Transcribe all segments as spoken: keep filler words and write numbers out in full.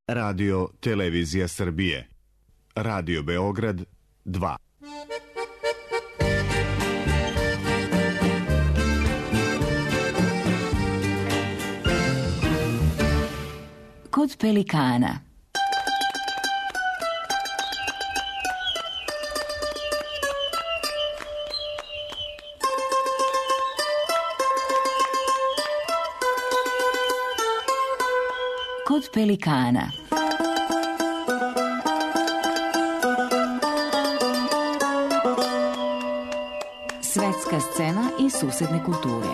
Radio Televizija Srbije. Radio Beograd dva. Kod pelikana. Kod pelikana. Svetska scena i susedne kulture.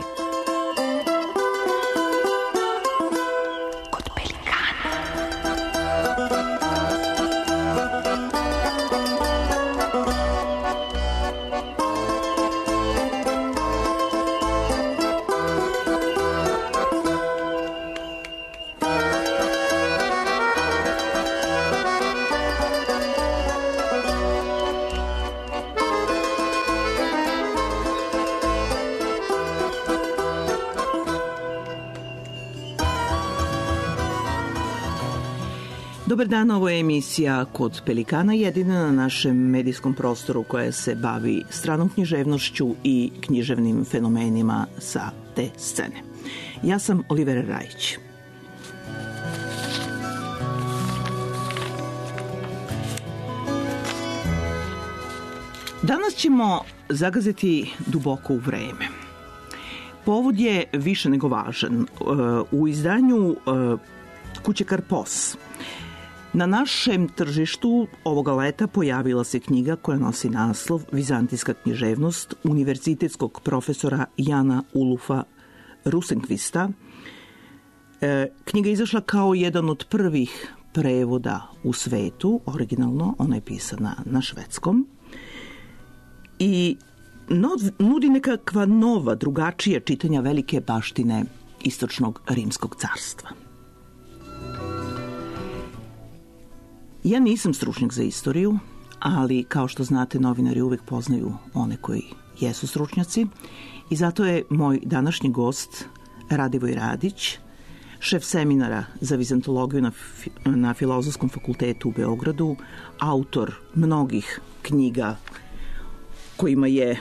Kod pelikana. Dobar dan, ovo je emisija Kod pelikana, jedina na našem medijskom prostoru koja se bavi stranom književnošću i književnim fenomenima sa te scene. Ja sam Olivera Rajić. Danas ćemo zagaziti duboko u vreme. Povod je više nego važan. U izdanju kuće Karpos na našem tržištu ovoga leta pojavila se knjiga koja nosi naslov Vizantijska književnost univerzitetskog profesora Jana Ulufa Rosenqvista. E, knjiga je izašla kao jedan od prvih prevoda u svetu, originalno, ona je pisana na švedskom i nudi nekakva nova, drugačija čitanja velike baštine istočnog rimskog carstva. Ja nisam stručnjak za istoriju, ali kao što znate, novinari uvek poznaju one koji jesu stručnjaci i zato je moj današnji gost Radivoj Radić, šef seminara za vizantologiju na, na Filozofskom fakultetu u Beogradu, autor mnogih knjiga kojima je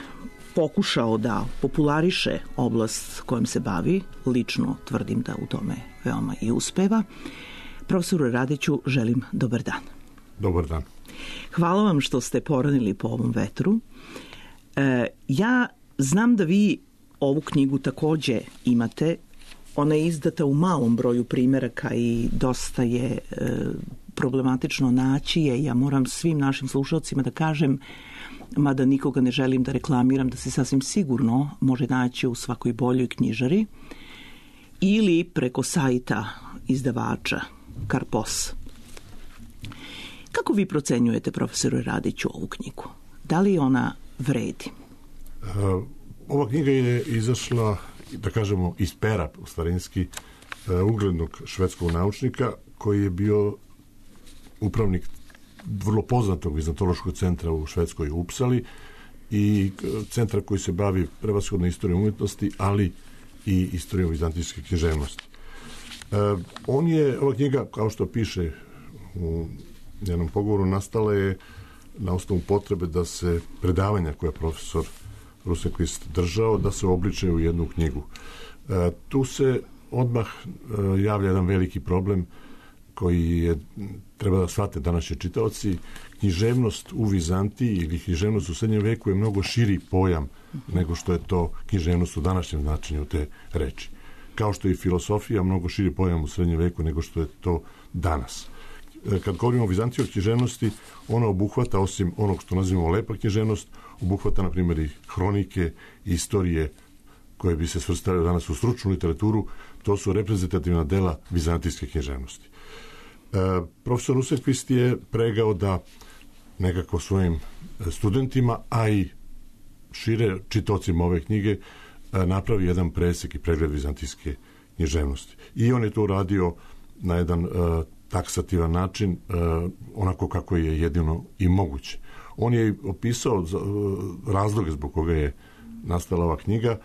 pokušao da populariše oblast kojom se bavi. Lično tvrdim da u tome veoma i uspeva. Profesoru Radiću želim dobar dan. Dobar dan. Hvala vam što ste poranili po ovom vetru. E, ja znam da vi ovu knjigu takođe imate. Ona je izdata u malom broju primeraka i dosta je e, problematično naći je. Ja moram svim našim slušalcima da kažem, mada nikoga ne želim da reklamiram, da se sasvim sigurno može naći u svakoj boljoj knjižari ili preko sajta izdavača Karpos. Kako vi procenjujete, profesoru Radiću, ovu knjigu? Da li ona vredi? Uh, ova knjiga je izašla, da kažemo, iz pera, u starinski, uh, uglednog švedskog naučnika koji je bio upravnik vrlo poznatog vizantološkog centra u Švedskoj u Upsali i centra koji se bavi prevashodno istorijom umjetnosti, ali i istorijom vizantijske književnosti. Uh, on je, ova knjiga, kao što piše u jednom pogovoru, nastala je na osnovu potrebe da se predavanja koje je profesor Rosenqvist držao, da se obliče u jednu knjigu. Uh, tu se odmah uh, javlja jedan veliki problem koji je, treba da shvate današnji čitaoci. Književnost u Vizantiji ili književnost u srednjem veku je mnogo širi pojam nego što je to književnost u današnjem značenju te reči. Kao što je i filosofija mnogo širi pojam u srednjem veku nego što je to danas. Kad govorimo o Vizantiji, o književnosti, ona obuhvata, osim onog što nazivamo lepa književnost, obuhvata, na primjer, i hronike, i istorije koje bi se svrstavile danas u stručnu literaturu. To su reprezentativna dela vizantijske književnosti. E, profesor Rosenqvist je pregao da nekako svojim studentima, a i šire čitaocima ove knjige, napravi jedan presek i pregled vizantijske književnosti. I on je to uradio na jedan uh, taksativan način, uh, onako kako je jedino i moguće. On je opisao uh, razloge zbog koga je nastala ova knjiga.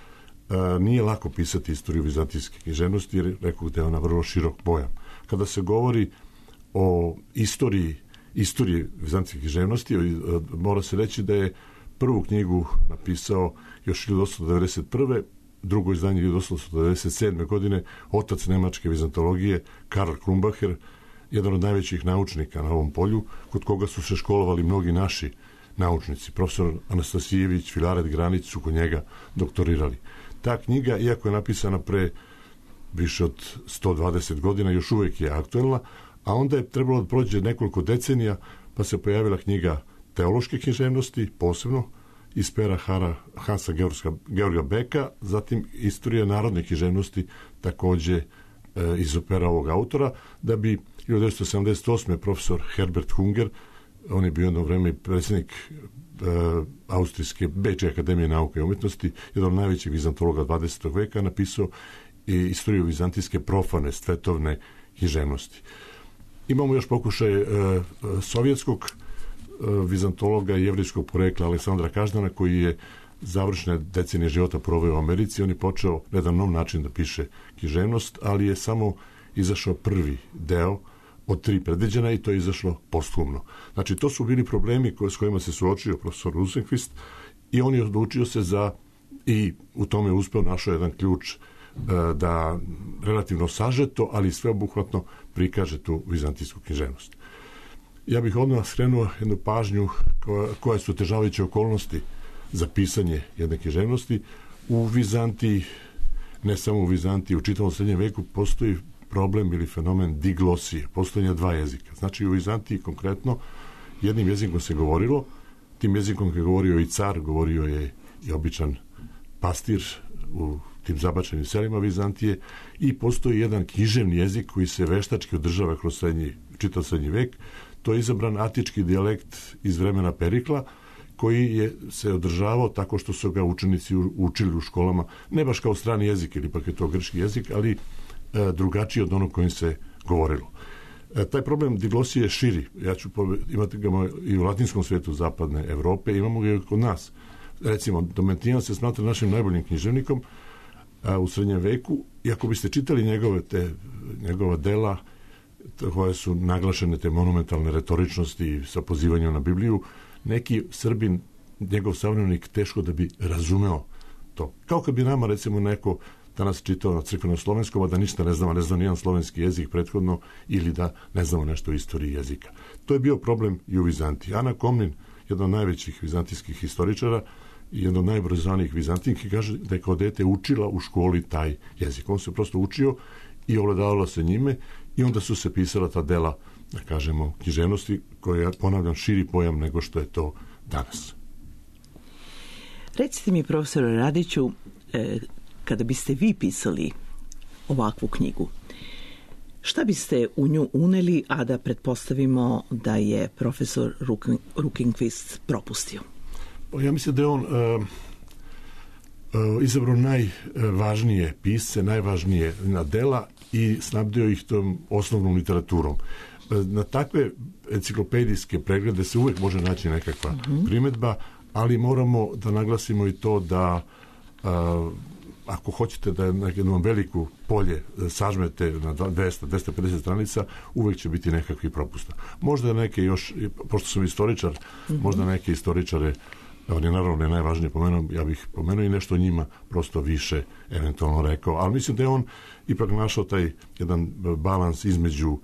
Uh, nije lako pisati istoriju vizantijske književnosti, jer rekao da je ona vrlo širok pojam. Kada se govori o istoriji, istoriji vizantijske književnosti, mora se reći da je prvu knjigu napisao još hiljadu osamsto devedeset prve. drugo izdanje hiljadu osamsto devedeset sedme. godine, otac nemačke vizantologije Karl Krumbacher, jedan od najvećih naučnika na ovom polju, kod koga su se školovali mnogi naši naučnici. Profesor Anastasijević, Filaret Granić su kod njega doktorirali. Ta knjiga, iako je napisana pre više od sto dvadeset godina, još uvijek je aktuelna, a onda je trebalo da prođe nekoliko decenija, pa se pojavila knjiga teološke književnosti, posebno iz pera Hara, Hansa Georga, Georga Beka, zatim istorija narodne književnosti, takođe e, iz pera ovog autora, da bi hiljadu devetsto sedamdeset osme. profesor Herbert Hunger, on je bio jedno vreme predsjednik e, Austrijske Bečke akademije nauke i umjetnosti, jedan od najvećih vizantologa dvadesetog veka, napisao i istoriju vizantijske profane svetovne književnosti. Imamo još pokušaj e, sovjetskog e, vizantologa i jevrijskog porekla Aleksandra Každana, koji je završne decenije života proveo u Americi. On je počeo na jedan nov način da piše književnost, ali je samo izašao prvi deo od tri predviđena i to je izašlo posthumno. Znači, to su bili problemi s kojima se suočio profesor Rosenqvist i on je odlučio se za, i u tome je uspeo, našao jedan ključ da relativno sažeto, ali sveobuhvatno prikaže tu vizantijsku književnost. Ja bih odmah skrenuo jednu pažnju koja, koje su otežavajuće okolnosti za pisanje jedne književnosti. U Vizantiji, ne samo u Vizantiji, u čitavom srednjem veku postoji problem ili fenomen diglosije, postojanja dva jezika. Znači, u Vizantiji konkretno jednim jezikom se govorilo, tim jezikom je govorio i car, govorio je i običan pastir u tim zabačenim selima Vizantije i postoji jedan književni jezik koji se veštački održava kroz srednji, čitav srednji vek. To je izabran atički dijalekt iz vremena Perikla, koji je se održavao tako što su ga učenici učili u školama, ne baš kao strani jezik, ili ipak je to grčki jezik, ali e, drugačiji od onog kojim se govorilo. E, taj problem diglosije je širi. Ja ću imati ga i u latinskom svijetu zapadne Evrope, imamo ga i kod nas. Recimo, Domitijan se smatra našim najboljim književnikom a, u srednjem veku, i ako biste čitali njegove te, njegova dela koje su naglašene te monumentalne retoričnosti sa pozivanjem na Bibliju, neki Srbin, njegov savremenik, teško da bi razumeo to. Kao kad bi nama, recimo, neko danas čitao na crkvenom slovenskom, a da ništa ne znamo, ne znamo nijedan slovenski jezik prethodno, ili da ne znamo nešto o istoriji jezika. To je bio problem i u Vizantiji. Ana Komnin, jedan od najvećih vizantijskih historičara i jedan od najobrazovanijih Vizantinki, kaže da je kao dete učila u školi taj jezik. On se prosto učio i ovladavala se njime, i onda su se pisala ta dela, da kažemo, književnosti, koja, ponavljam, širi pojam nego što je to danas. Recite mi, profesore Radiću, e, kada biste vi pisali ovakvu knjigu, šta biste u nju uneli, a da pretpostavimo da je profesor Rosenqvist propustio? Ja mislim da je on uh, uh, izabrao najvažnije pisce, najvažnije dela i snabdeo ih tom osnovnom literaturom. Na takve enciklopedijske preglede se uvijek može naći nekakva uh-huh. primjedba, ali moramo da naglasimo i to da uh, ako hoćete da na jednom veliku polje sažmete na dvesta do dvesta pedeset stranica, uvijek će biti nekakvih propusta. Možda neke još, pošto sam istoričar, uh-huh. možda neke istoričare, on je naravno ne najvažnije pomenuo, ja bih pomenuo i nešto o njima prosto više eventualno rekao, ali mislim da je on ipak našao taj jedan balans između uh,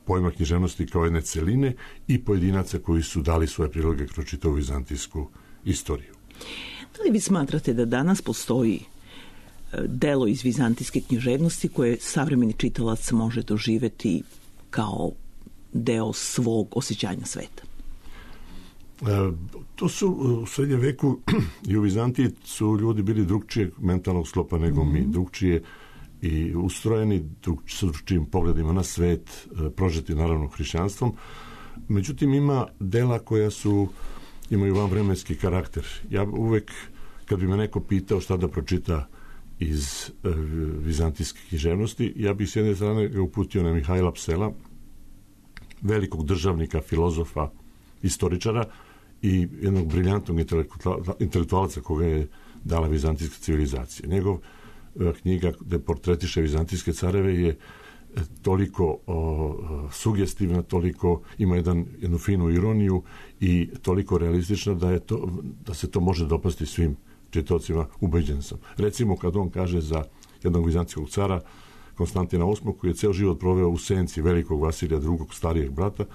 pojma književnosti kao jedne celine i pojedinaca koji su dali svoje priloge kroz čitavu vizantijsku istoriju. Da li vi smatrate da danas postoji delo iz vizantijske književnosti koje savremeni čitalac može doživeti kao deo svog osjećanja sveta? E, to su u srednjem veku i u Vizantiji su ljudi bili drugčijeg mentalnog sklopa nego mm-hmm. mi, drugčije i ustrojeni, sa drugčijim pogledima na svet, e, prožeti naravno hrišćanstvom. Međutim, ima dela koja su, imaju vanvremenski karakter. Ja uvek, kad bi me neko pitao šta da pročita iz e, vizantijske književnosti, ja bih s jedne strane ga uputio na Mihajla Psela, velikog državnika, filozofa, istoričara i jednog briljantnog intelektualca koga je dala vizantijska civilizacija. Njegov knjiga gde portretiše vizantijske careve je toliko o, sugestivna, toliko ima jedan, jednu finu ironiju i toliko realistična da, je to, da se to može dopasti svim čitaocima, ubeđen sam. Recimo kad on kaže za jednog vizantijskog cara Konstantina osmog koji je ceo život proveo u senci velikog Vasilija drugog starijeg brata,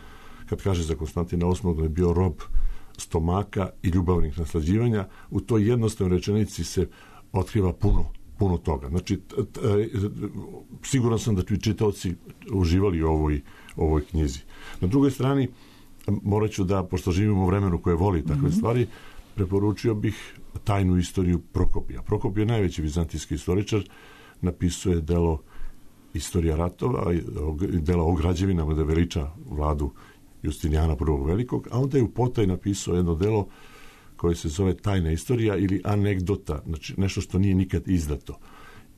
kad kaže za Konstantina osmog da je bio rob stomaka i ljubavnih naslađivanja, u toj jednostavnoj rečenici se otkriva puno, puno toga. Znači, t, t, siguran sam da bi čitaoci uživali u ovoj, ovoj knjizi. Na drugoj strani, morat ću da, pošto živimo u vremenu koje voli takve mm-hmm. stvari, preporučio bih tajnu istoriju Prokopija. Prokopije je najveći vizantijski istoričar, napisuje delo Istorija ratova, dela o građevinama da veliča vladu Justinijana prvog velikog, a onda je u potaj napisao jedno delo koje se zove Tajna istorija ili anegdota, znači nešto što nije nikad izdato.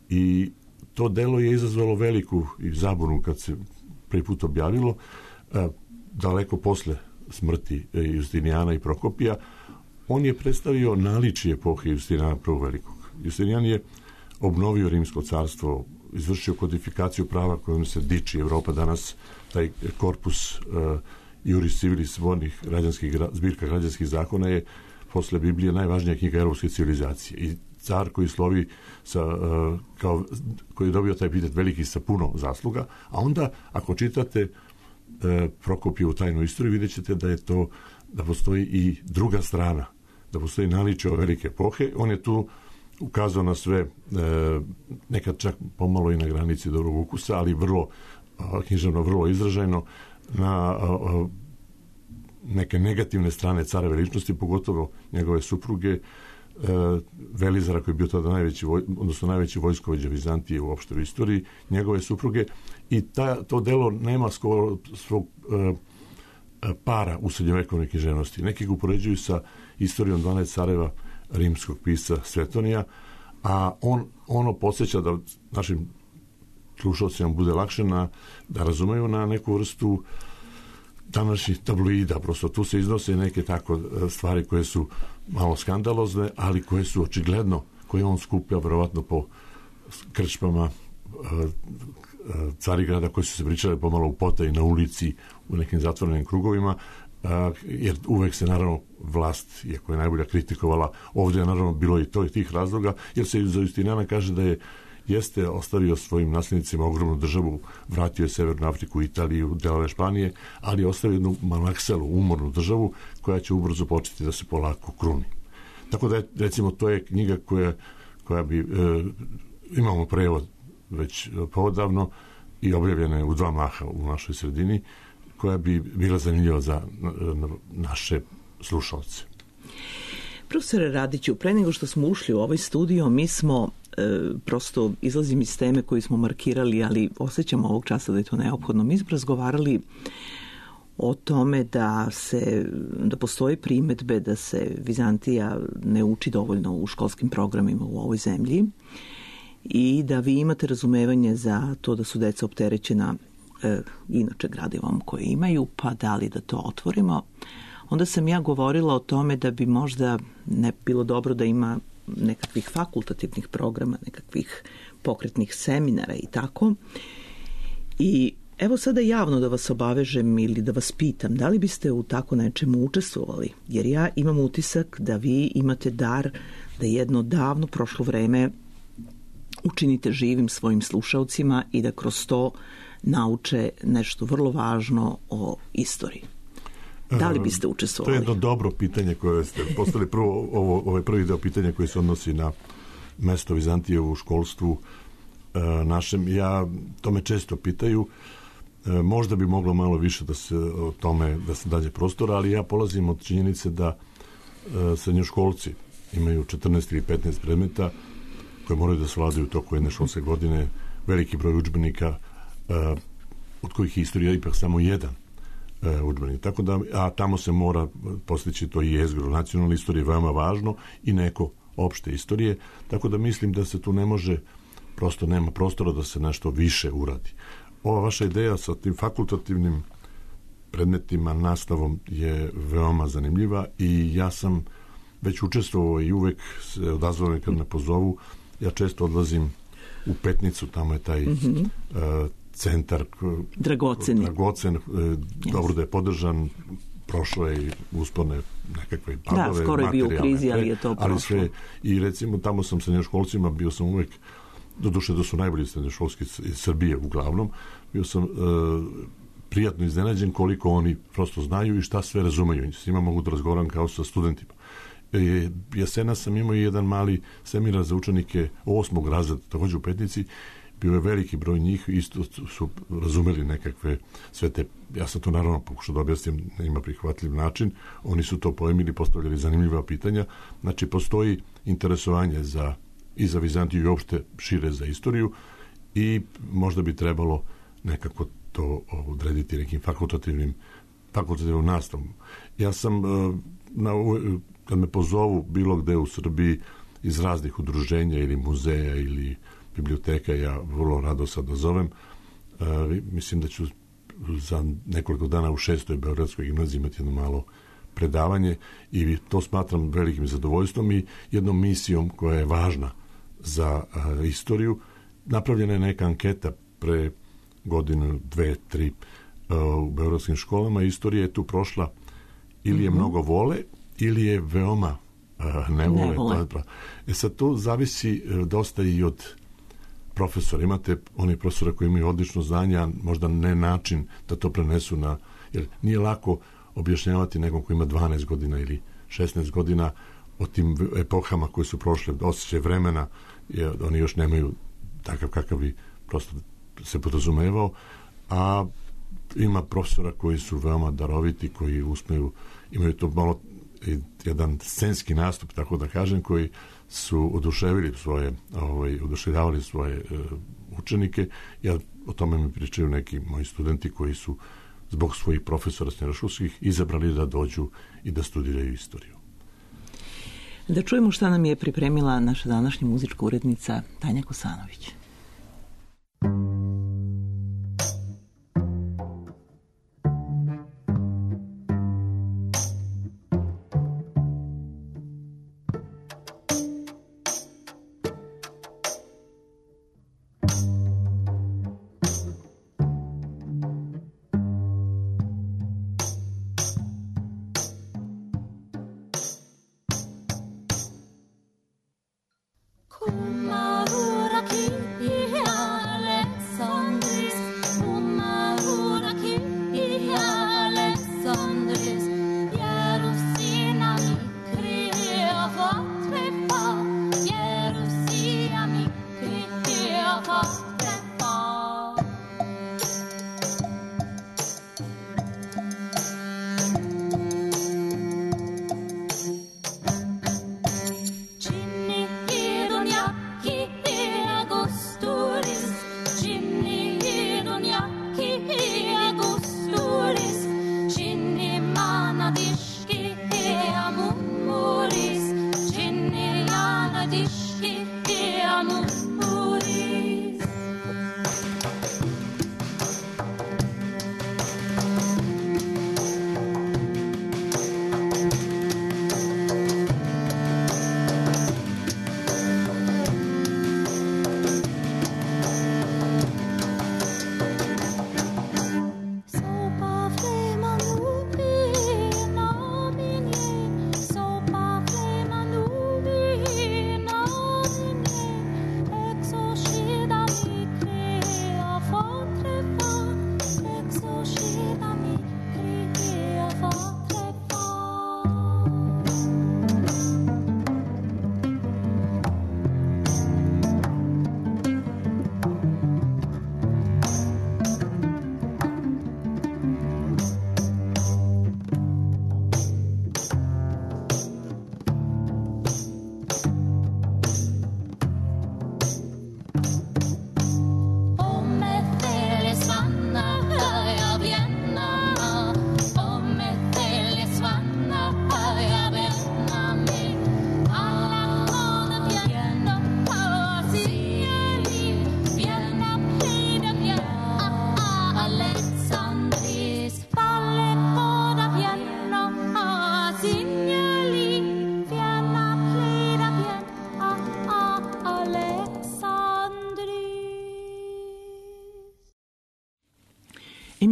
I to delo je izazvalo veliku i zabunu kad se prvi put objavilo, daleko posle smrti Justinijana i Prokopija. On je predstavio naličje epohe Justinijana prvog velikog. Justinijan je obnovio Rimsko carstvo, izvršio kodifikaciju prava kojom se diči Evropa danas, taj korpus uh, Iuris Civilis vodnih građanskih, zbirka građanskih zakona je posle Biblije najvažnija knjiga evropske civilizacije. I car koji slovi sa, uh, kao, koji je dobio taj epitet veliki sa puno zasluga, a onda ako čitate uh, Prokopijevu tajnu istoriju, vidjet ćete da je to, da postoji i druga strana, da postoji naličje ove velike epohe. On je tu ukazao na sve, e, nekad čak pomalo i na granici dobrog ukusa, ali vrlo a, književno, vrlo izražajno, na a, a, neke negativne strane careve ličnosti, pogotovo njegove supruge, e, Velizara, koji je bio tada najveći, voj, odnosno najveći vojskovođa Vizantije u opštoj istoriji, njegove supruge, i ta, to delo nema skoro svog e, para u srednjovekovnoj književnosti. Neki ga upoređuju sa istorijom dvanaest careva rimskog pisca Svetonija, a on, ono podsjeća da našim slušalcima bude lakše na, da razumeju na neku vrstu današnjih tabloida. Prosto tu se iznose neke tako stvari koje su malo skandalozne, ali koje su očigledno, koje on skuplja verovatno po krčmama Carigrada, koji su se pričali pomalo u potaji na ulici, u nekim zatvorenim krugovima, jer uvek se naravno vlast, iako je najbolja, kritikovala. Ovdje je naravno bilo i to i tih razloga, jer se za Justinijana kaže da je jeste ostavio svojim nasljednicima ogromnu državu, vratio je Severnu Afriku, Italiju, delove Španije, ali je ostavio jednu malakselu, umornu državu koja će ubrzo početi da se polako kruni. Tako da je, recimo, to je knjiga koja, koja bi, e, imamo prevod već poodavno i objavljena je u dva maha u našoj sredini, koja bi bila zanimljiva za naše slušalce. Profesore Radiću, pre nego što smo ušli u ovaj studio, mi smo, e, prosto izlazim iz teme koju smo markirali, ali osjećamo ovog časa da je to neophodno. Mi smo razgovarali o tome da se, da postoje primetbe da se Vizantija ne uči dovoljno u školskim programima u ovoj zemlji i da vi imate razumevanje za to da su deca opterećena e, inače gradivom koje imaju, pa da li da to otvorimo. Onda sam ja govorila o tome da bi možda ne bilo dobro da ima nekakvih fakultativnih programa, nekakvih pokretnih seminara i tako. I evo sada javno da vas obavežem ili da vas pitam, da li biste u tako nečemu učestvovali? Jer ja imam utisak da vi imate dar da jedno davno prošlo vreme učinite živim svojim slušalcima i da kroz to nauče nešto vrlo važno o istoriji. Da li biste učestvovali? To je jedno dobro pitanje koje ste postavili. Prvo, ovo, ovo je prvi deo pitanja koji se odnosi na mesto Vizantije u školstvu e, našem. Ja, to me često pitaju. E, možda bi moglo malo više da se o tome, da se dađe prostora, ali ja polazim od činjenice da e, srednjoškolci imaju četrnaest ili petnaest predmeta koje moraju da svladaju u toku jedne školske godine, veliki broj udžbenika, e, od kojih je istorija ipak samo jedan udžbenik. Tako da, a tamo se mora postići to i jezgro nacionalne istorije, veoma važno, i neko opšte istorije, tako da mislim da se tu ne može, prosto nema prostora da se nešto više uradi. Ova vaša ideja sa tim fakultativnim predmetima, nastavom je veoma zanimljiva i ja sam već učestvovao i uvek se odazvao kad me pozovu. Ja često odlazim u Petnicu, tamo je taj mm-hmm. uh, centar dragoceni. dragocen, yes. Dobro da je podržan, prošlo je i uspone nekakve padove, da, skoro je bio u krizi, ali je to prošlo. Ali sve, i recimo tamo sam sa srednjoškolcima, bio sam uvek, doduše da su najbolji srednjoškolski iz Srbije uglavnom, bio sam e, prijatno iznenađen koliko oni prosto znaju i šta sve razumeju. S njima mogu da razgovaram kao sa studentima. E, jesena sam imao jedan mali seminar za učenike osmog razreda, takođe u Petnici, bio je veliki broj njih, isto su razumeli nekakve sve te, ja sam to naravno pokušao da objasnim na njima prihvatljiv način, oni su to pojmili, postavljali zanimljiva pitanja, znači postoji interesovanje za, i za Vizantiju i uopšte šire za istoriju i možda bi trebalo nekako to odrediti nekim fakultativnim fakultativnom nastavom. Ja sam na, kad me pozovu bilo gde u Srbiji iz raznih udruženja ili muzeja ili biblioteka, ja vrlo rado sad dozovem. Uh, mislim da ću za nekoliko dana u šestoj Beogradskoj gimnaziji imati jedno malo predavanje i to smatram velikim zadovoljstvom i jednom misijom koja je važna za uh, istoriju. Napravljena je neka anketa pre godinu, dve, tri uh, u beogradskim školama. Istorija je tu prošla ili je mm-hmm. mnogo vole ili je veoma uh, ne vole. Ne vole. Pa, e sad to zavisi uh, dosta i od profesora. Imate oni profesora koji imaju odlično znanje, a možda ne način da to prenesu na... Jer nije lako objašnjavati nekom koji ima dvanaest godina ili šesnaest godina o tim epohama koje su prošle, osjećaj vremena, jer oni još nemaju takav kakav bi prosto se podrazumevao, a ima profesora koji su veoma daroviti, koji usmeju, imaju to malo jedan scenski nastup, tako da kažem, koji su oduševili svoje, ovaj, oduševljavali svoje uh, učenike. Ja o tome mi pričaju neki moji studenti koji su zbog svojih profesora srednjoškolskih izabrali da dođu i da studiraju istoriju. Da čujemo šta nam je pripremila naša današnja muzička urednica Tanja Kosanović. Kun mä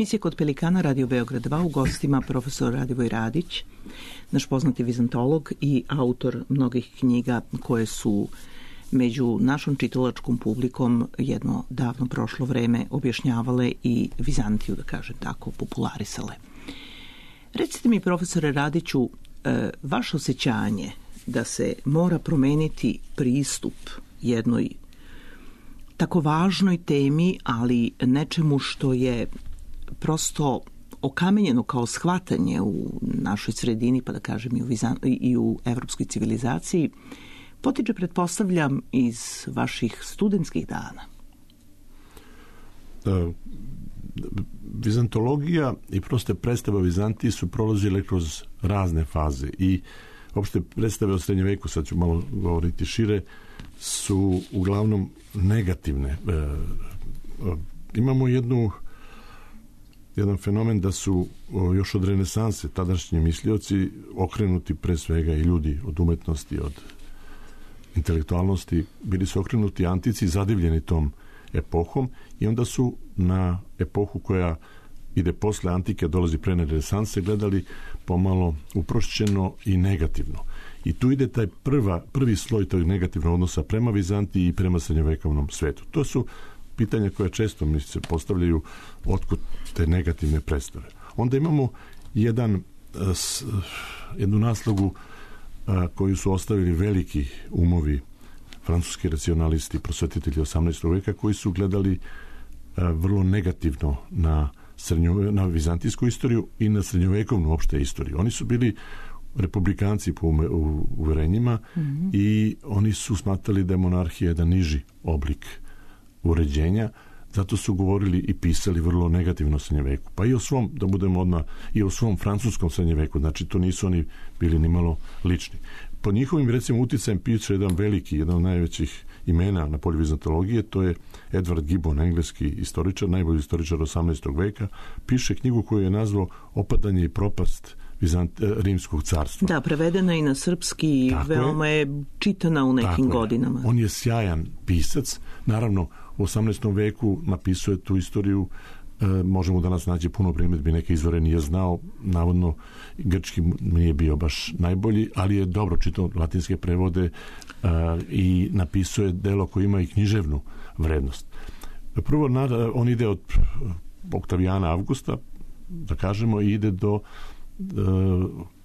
Emisija Kod Pelikana, Radio Beograd dva, u gostima profesor Radivoj Radić, naš poznati vizantolog i autor mnogih knjiga koje su među našom čitalačkom publikom jedno davno prošlo vreme objašnjavale i Vizantiju, da kažem tako, popularisale. Recite mi, profesore Radiću, vaše osjećanje da se mora promeniti pristup jednoj tako važnoj temi, ali nečemu što je prosto okamenjeno kao shvatanje u našoj sredini, pa da kažem i u, Vizan... i u evropskoj civilizaciji, potiče, pretpostavljam, iz vaših studentskih dana. Da, vizantologija i proste predstave o Vizantiji su prolazile kroz razne faze i opšte predstave o srednjem veku, sad ću malo govoriti šire, su uglavnom negativne. E, e, imamo jednu jedan fenomen da su o, još od renesanse tadašnji mislioci okrenuti pre svega i ljudi od umetnosti, od intelektualnosti, bili su okrenuti antici, zadivljeni tom epohom i onda su na epohu koja ide posle antike, dolazi pre renesanse, gledali pomalo uprošćeno i negativno. I tu ide taj prva, prvi sloj tog negativnog odnosa prema Vizantiji i prema srednjovekovnom svetu. To su pitanja koje često mi se postavljaju otkud te negativne predstave. Onda imamo jedan, jednu naslogu koju su ostavili veliki umovi, francuski racionalisti, prosvetitelji osamnaestog veka, koji su gledali vrlo negativno na, srednjove, na vizantijsku istoriju i na srednjovekovnu opšte istoriju. Oni su bili republikanci po uverenjima mm-hmm. i oni su smatrali da je monarhija jedan niži oblik uređenja, zato su govorili i pisali vrlo negativno o srednjeveku. Pa i o svom, da budemo odmah, i o svom francuskom srednjeveku, znači to nisu oni bili ni malo lični. Po njihovim, recimo, uticajem piše jedan veliki, jedan od najvećih imena na polju vizantologije, to je Edward Gibbon, engleski istoričar, najbolji istoričar osamnaestog veka, piše knjigu koju je nazvao Opadanje i propast Vizant, rimskog carstva. Da, prevedena i na srpski i veoma je. je čitana u nekim Tako godinama. Je. On je sjajan pisac. Naravno, u osamnaestom veku napisuje tu istoriju. E, možemo danas naći puno primjedbi, neke izvore nije znao. Navodno, grčki nije bio baš najbolji, ali je dobro čitao latinske prevode e, i napisuje delo koje ima i književnu vrednost. Prvo, on ide od Oktavijana Avgusta, da kažemo, i ide do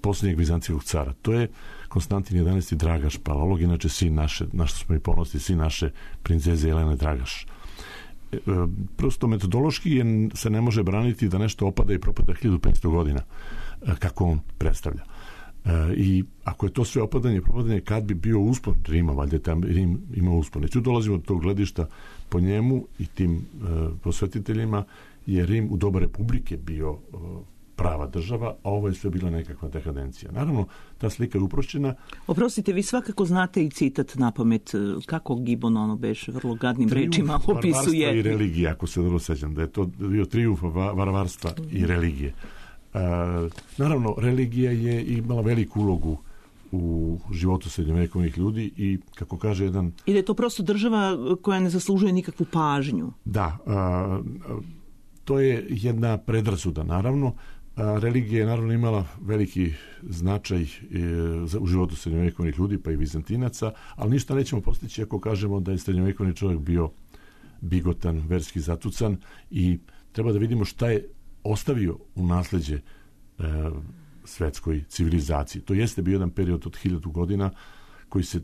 posljednjeg vizantijskog cara. To je Konstantin jedanaesti Dragaš, palolog, inače sin naše, na što smo i ponosni, sin naše princeze Jelene Dragaš. E, prosto metodološki je, se ne može braniti da nešto opada i propada hiljadu petsto godina, e, kako on predstavlja. E, I ako je to sve opadanje i propadanje, kad bi bio uspon Rima, valjda tam Rim ima uspon. I tu dolazimo do tog gledišta, po njemu i tim e, prosvetiteljima je Rim u doba republike bio e, prava država, a ovo je sve bila nekakva dekadencija. Naravno, ta slika je uprošćena. Oprostite, vi svakako znate i citat na pamet, kako Gibbon ono beše vrlo gadnim trijumf rečima opisuje. Varvarstva i religije, ako se dobro sećam, da je to bio trijumf varvarstva i religije. Uh, naravno, religija je imala veliku ulogu u životu srednjovekovnih ljudi i, kako kaže jedan... I da je to prosto država koja ne zaslužuje nikakvu pažnju. Da, uh, to je jedna predrasuda, naravno. A, religija je naravno imala veliki značaj e, za, u životu srednjovekovnih ljudi, pa i Vizantinaca, ali ništa nećemo postići ako kažemo da je srednjovekovni čovjek bio bigotan, verski zatucan i treba da vidimo šta je ostavio u nasleđe e, svetskoj civilizaciji. To jeste bio jedan period od hiljadu godina koji se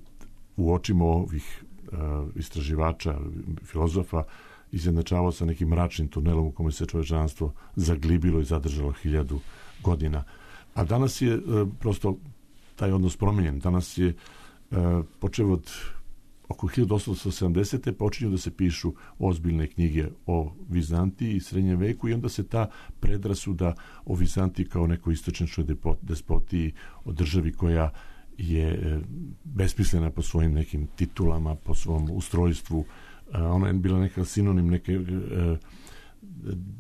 u očima ovih e, istraživača, filozofa, izjednačavao sa nekim mračnim tunelom u kome se čovečanstvo zaglibilo i zadržalo hiljadu godina. A danas je e, prosto taj odnos promenjen. Danas je e, počeo od oko hiljadu osamsto sedamdesete počinju da se pišu ozbiljne knjige o Vizantiji i srednjem veku i onda se ta predrasuda o Vizantiji kao nekoj istočnjačkoj despotiji, o državi koja je besmislena po svojim nekim titulama, po svom ustrojstvu. Ona je bila neka sinonim neke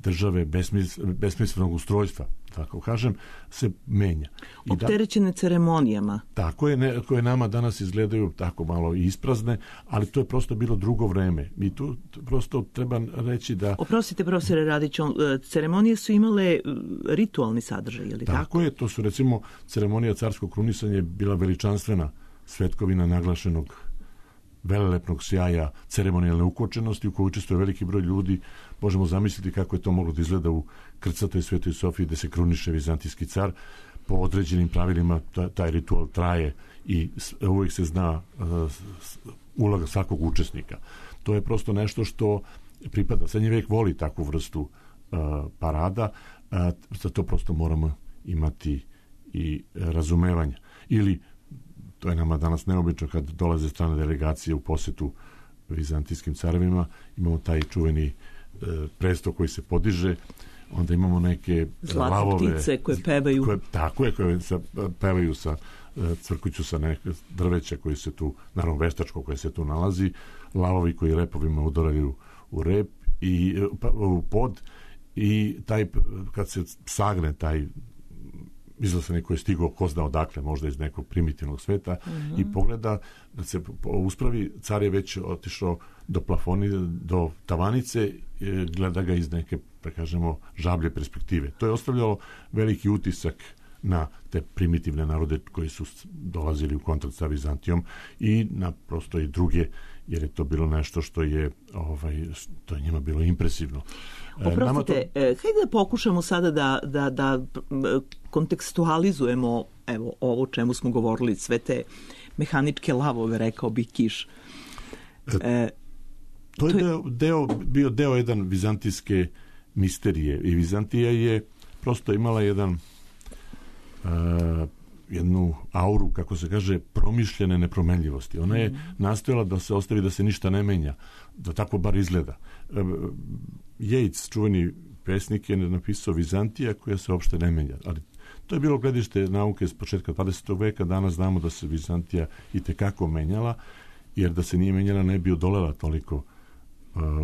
države besmisl, besmislenog ustrojstva. tako kažem, se menja. I opterećene da, ceremonijama. Tako je, ne, koje nama danas izgledaju tako malo isprazne, ali to je prosto bilo drugo vreme. I tu prosto treba reći da... Oprostite, profesore Radiću, ceremonije su imale ritualni sadržaj, je li tako? Tako je, to su recimo ceremonija carskog krunisanja je bila veličanstvena svetkovina naglašenog velelepnog sjaja, ceremonijalne ukočenosti u kojoj učestvuje veliki broj ljudi. Možemo zamisliti kako je to moglo da izgleda u krcatoj Svetoj Sofiji gde se kruniše vizantijski car. Po određenim pravilima taj ritual traje i uvijek se zna uloga svakog učesnika. To je prosto nešto što pripada. Srednji vek voli takvu vrstu parada, za to prosto moramo imati i razumevanja. Ili to je nama danas neobično kad dolaze strane delegacije u posetu vizantijskim carevima, imamo taj čuveni e, presto koji se podiže, onda imamo neke zlatne lavove, ptice koje pevaju. Koje, tako je, koje sa, pevaju sa crkuću sa neke drveća koji se tu, naravno veštačko koje se tu nalazi, lavovi koji repovima udaraju u rep i pa, u pod i taj, kad se sagne taj izlasenik koji je stigao ko zna odakle, možda iz nekog primitivnog sveta, mm-hmm. i pogleda da se uspravi, car je već otišao do plafoni, do tavanice, gleda ga iz neke, da kažemo, žablje perspektive. To je ostavljalo veliki utisak na te primitivne narode koji su dolazili u kontakt sa Vizantijom i na prosto i druge, jer je to bilo nešto što je ovaj, to je njima bilo impresivno. Oprostite, to... hajde da pokušamo sada da, da, da kontekstualizujemo evo, ovo o čemu smo govorili, sve te mehaničke lavove, rekao bi Kiš. E, to je, to je... Deo, deo, bio deo jedan vizantijske misterije i Vizantija je prosto imala jedan Uh, jednu auru, kako se kaže, promišljene nepromenljivosti. Ona je mm. nastojala da se ostavi da se ništa ne menja, da tako bar izgleda. Uh, Yeats, čuveni pesnik, je napisao Vizantija koja se uopšte ne menja. Ali to je bilo gledište nauke s početka dvadesetog veka. Danas znamo da se Vizantija i tekako menjala, jer da se nije menjala ne bi odolela toliko uh,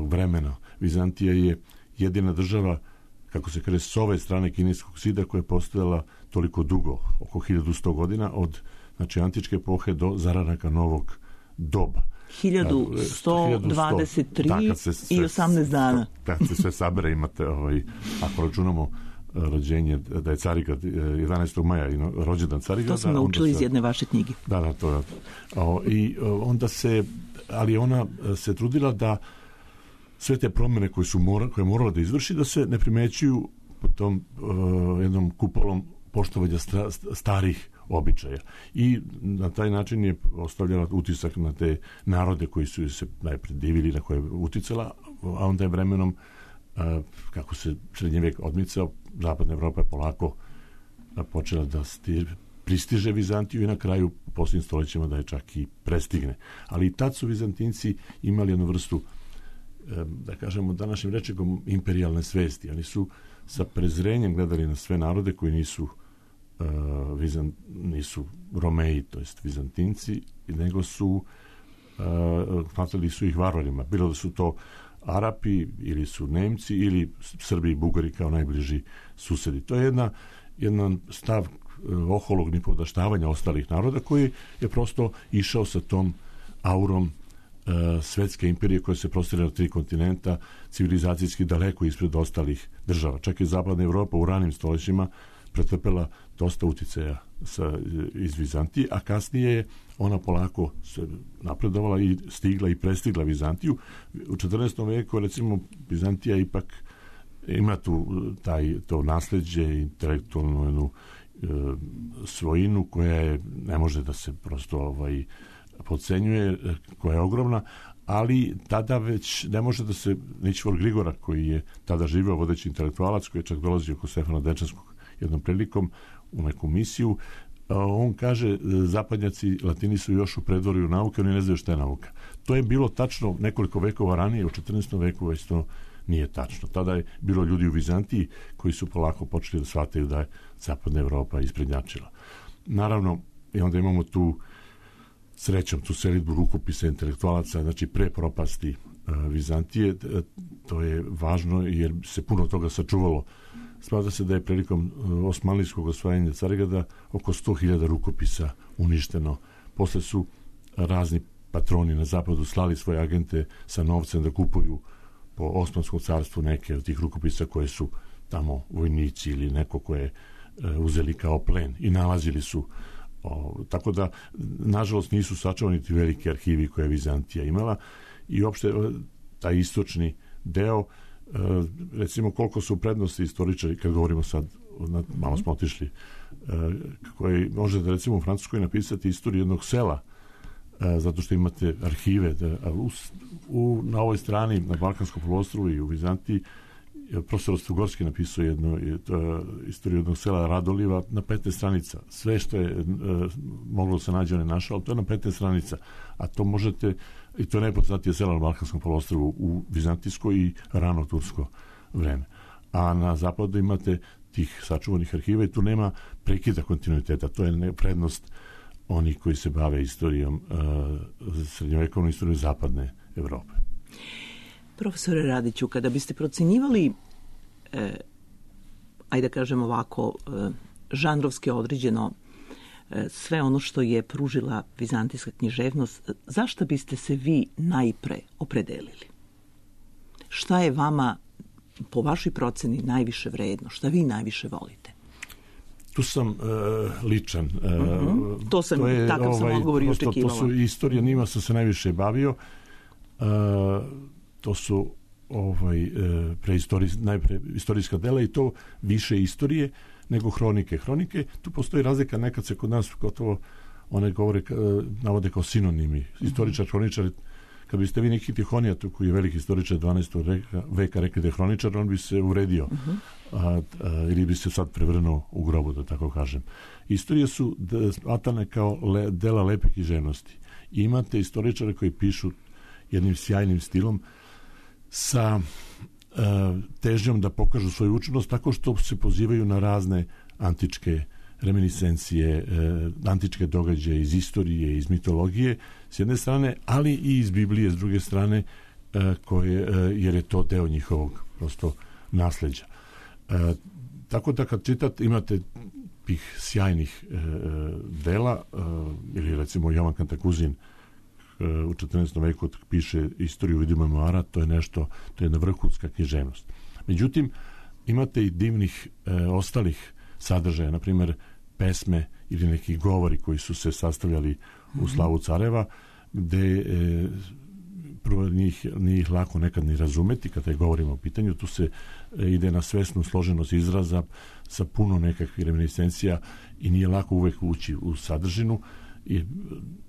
vremena. Vizantija je jedina država, kako se kaže, s ove strane kineskog zida koja je postojala toliko dugo, oko hiljadu sto godina, od znači, antičke epohe do zararaka novog doba. hiljadu sto dvadeset tri da, se, i osamnaest dana. Kad se sve sabere imate, ovaj, ako računamo rođenje, da je Carigrad jedanaestog maja i rođendan Carigrada. To smo naučili iz jedne vaše knjige. Da, da, to je. O, I onda se, ali ona se trudila da sve te promjene koje su mora, koje je morala da izvrši, da se ne primećuju po tom uh, jednom kupolom poštovanja stra, starih običaja. I na taj način je ostavljala utisak na te narode koji su se najpred divili, na koje je uticala, a onda je vremenom, uh, kako se srednji vek odmicao, zapadna Evropa je polako počela da sti, pristiže Vizantiju i na kraju u posljednjim stoljećima da je čak i prestigne. Ali i tad su Vizantinci imali jednu vrstu, da kažemo današnjim rečekom, imperijalne svesti. Oni su sa prezrenjem gledali na sve narode koji nisu uh, Vizant, nisu Romeji, to jest Vizantinci, nego su uh, smatrali su ih varvarima. Bilo da su to Arapi ili su Nemci ili Srbi i Bugari kao najbliži susedi. To je jedna, jedan stav uh, oholog nipodaštavanja ostalih naroda koji je prosto išao sa tom aurom svetske imperije koja se prostire na tri kontinenta, civilizacijski daleko ispred ostalih država. Čak i zapadna Evropa u ranim stoljećima pretrpela dosta uticaja sa, iz Vizantije, a kasnije je ona polako se napredovala i stigla i prestigla Vizantiju. U četrnaestom veku, recimo, Vizantija ipak ima tu taj, to nasleđe, intelektualnu jednu e, svojinu koja je, ne može da se prosto ovaj podcenjuje, koja je ogromna, ali tada već ne može da se Ničvor Grigora, koji je tada živio vodeći intelektualac, koji je čak dolazio oko Stefana Dečanskog jednom prilikom u neku misiju, on kaže, zapadnjaci Latini su još u predvorju nauke, oni ne znaju šta je nauka. To je bilo tačno nekoliko vekova ranije, u četrnaestom veku već to nije tačno. Tada je bilo ljudi u Vizantiji koji su polako počeli da shvataju da je zapadna Evropa isprednjačila. Naravno, i onda imamo tu srećom tu selidbu rukopisa intelektualaca, znači pre propasti uh, Vizantije, to je važno jer se puno toga sačuvalo smatra se da je prilikom osmanlijskog osvajanja Carigrada oko sto hiljada rukopisa uništeno. Posle su razni patroni na zapadu slali svoje agente sa novcem da kupuju po Osmanskom carstvu neke od tih rukopisa koje su tamo vojnici ili neko koje e, uzeli kao plen i nalazili su. O, tako da, nažalost, nisu sačuvani ti veliki arhivi koje je Vizantija imala i uopšte taj istočni deo, e, recimo koliko su prednosti istoričari, kad govorimo sad, malo smo otišli, e, koji možete recimo u Francuskoj napisati istoriju jednog sela, e, zato što imate arhive. Da, u, u, na ovoj strani, na Balkanskom poluostrvu i u Vizantiji, profesor Ostrogorski napisao jednu to, istoriju jednog sela Radoliva na petnaest stranica. Sve što je e, moglo se nađe, on je našao, to je na petnaest stranica. A to možete, i to je najpoznatije sela na Balkanskom poluostrvu u vizantijsko i rano tursko vreme. A na zapadu imate tih sačuvanih arhiva i tu nema prekida kontinuiteta. To je prednost onih koji se bave istorijom, e, srednjovekovnom istorijom zapadne Evrope. Profesore Radiću, kada biste procenjivali, e, ajde da kažem ovako, e, žanrovski određeno e, sve ono što je pružila vizantijska književnost, zašto biste se vi najpre opredelili? Šta je vama, po vašoj proceni, najviše vredno? Šta vi najviše volite? Tu sam e, ličan. E, uh-huh. To sam, to je, takav ovaj, sam odgovor i očekivala. To su istorija, njima sam se najviše bavio. E, to su ovaj, preistorij, najpre istorijska dela i to više istorije nego hronike. Hronike, tu postoji razlika, nekad se kod nas gotovo one govore, navode kao sinonimi. Istoričar, hroničar, kad biste vi neki Tihonija, tu koji je veliki istoričar dvanaestog veka rekli da je hroničar, on bi se uredio uh-huh. a, a, ili bi se sad prevrnuo u grobu, da tako kažem. Istorije su smatrane kao le, dela lepe književnosti. I imate istoričare koji pišu jednim sjajnim stilom sa e, težnjom da pokažu svoju učenost tako što se pozivaju na razne antičke reminiscencije, e, antičke događaje iz istorije, iz mitologije s jedne strane, ali i iz Biblije s druge strane, e, koje, e, jer je to deo njihovog prosto nasleđa. E, tako da kad čitate imate tih sjajnih e, dela, e, ili recimo Jovan Kantakuzin u četrnaestom veku piše istoriju vidu memoara, to je nešto, to je jedna vrhunska književnost. Međutim, imate i divnih e, ostalih sadržaja, na primjer pesme ili neki govori koji su se sastavljali u slavu careva, gde e, prvo njih, nije ih lako nekad ni razumeti kada je govorimo o pitanju, tu se e, ide na svesnu složenost izraza sa puno nekakvih reminiscencija i nije lako uvek ući u sadržinu i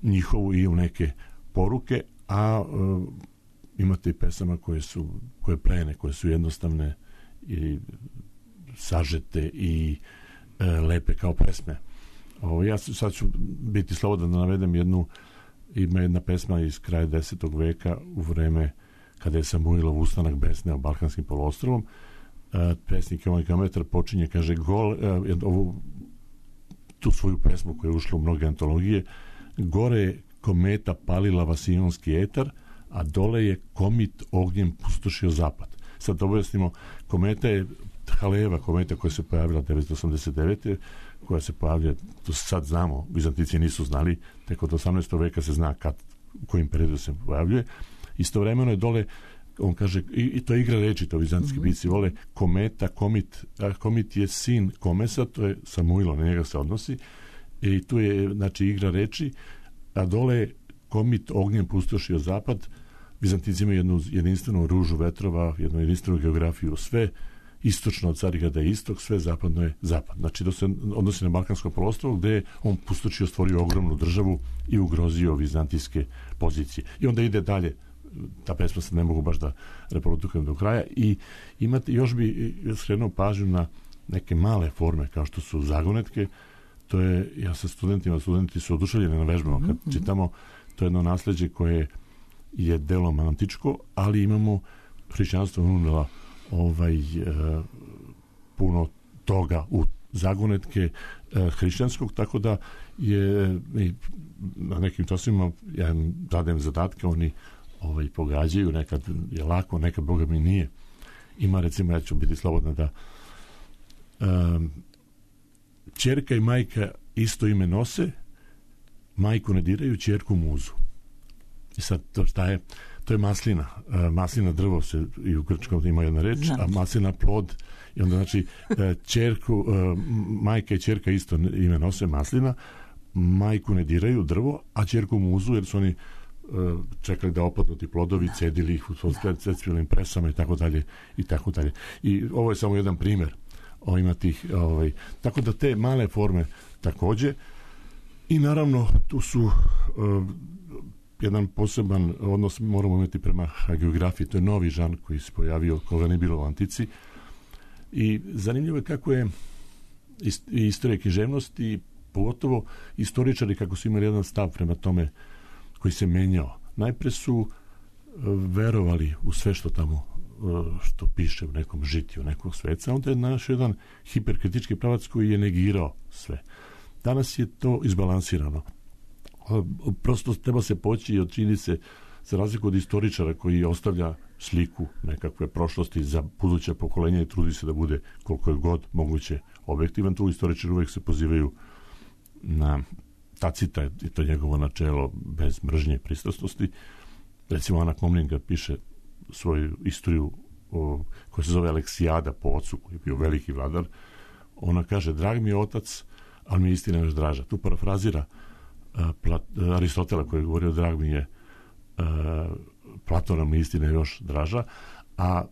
njihovu i u neke poruke, a e, imate i pesama koje su koje plene, koje su jednostavne i sažete i e, lepe kao pesme. O, ja sad ću biti slobodan da navedem jednu, ima jedna pesma iz kraja desetog veka u vreme kada je Samuilov ustanak besneo Balkanskim poluostrovom. E, pesnik Jovan Geometar počinje, kaže, gol, e, ovu, tu svoju pesmu koja je ušla u mnoge antologije, gore je kometa palila vasionski etar, a dole je komit ognjem pustošio zapad. Sad objasnimo, kometa je Haleva, kometa koja se pojavila devetsto osamdeset devete koja se pojavlja, to sad znamo, Vizantici nisu znali, tek od osamnaestog veka se zna kad, u kojim periodu se pojavljuje. Istovremeno je dole, on kaže, i, i to je igra reči, to vizantijski mm-hmm. pisci vole, kometa, komit, a komit je sin Komesa, to je Samuilo, na njega se odnosi, i tu je, znači, igra reči, a dole je komit ognjem pustošio zapad. Vizantici imaju jednu jedinstvenu ružu vetrova, jednu jedinstvenu geografiju, sve istočno od Carigrada je istok, sve zapadno je zapad. Znači, to se odnosi na Balkansko poluostrvo, gde je on pustošio, stvorio ogromnu državu i ugrozio vizantijske pozicije. I onda ide dalje, ta pesma se ne mogu baš da reprodukujem do kraja, i imate, još bi skrenuo pažnju na neke male forme, kao što su zagonetke. To je, ja sa studentima, studenti su oduševljeni na vežbama, kad mm-hmm. čitamo, to je jedno nasleđe koje je delom antičko, ali imamo hrišćanstvo unela ovaj, e, puno toga u zagonetke e, hrišćanskog, tako da je i na nekim časima ja dajem zadatke, oni ovaj, pogađaju, nekad je lako, nekad Boga mi nije. Ima, recimo, ja ću biti slobodna da Um, ćerka i majka isto ime nose, majku ne diraju, ćerku muzu. I sad to šta je? To je maslina. Uh, maslina drvo se i u grčkom ima jedna reč, znači. A maslina plod. I onda znači ćerku, uh, majka i ćerka isto ime nose, maslina. Majku ne diraju, drvo, a ćerku muzu jer su oni uh, čekali da opadnu ti plodovi, cedili ih u svojim presama i tako dalje i tako dalje. I ovo je samo jedan primjer. O, ima tih, ovaj, tako da te male forme također. I naravno tu su uh, jedan poseban odnos moramo imati prema hagiografiji. To je novi žanr koji se pojavio, koga ne bilo u antici. I zanimljivo je kako je i istorija književnosti i pogotovo istoričari kako su imali jedan stav prema tome koji se menjao. Najpre su uh, verovali u sve što tamo uh, što piše u nekom žitiju nekog sveca, onda je naš jedan hiperkritički pravac koji je negirao sve. Danas je to izbalansirano. Prosto treba se poći i od činjenice, za razliku od istoričara koji ostavlja sliku nekakve prošlosti za buduće pokolenja i trudi se da bude koliko je god moguće objektivan, tu istoričari uvijek se pozivaju na Tacita i to njegovo načelo bez mržnje i pristrasnosti. Recimo Ana Komnenka piše svoju istoriju o, koja se zove Aleksijada po ocu koji je bio veliki vladar. Ona kaže, drag mi je otac, ali mi je istina još draža. Tu parafrazira uh, Plat, uh, Aristotela koji je govorio, drag mi je uh, Platona, mi je istina još draža, a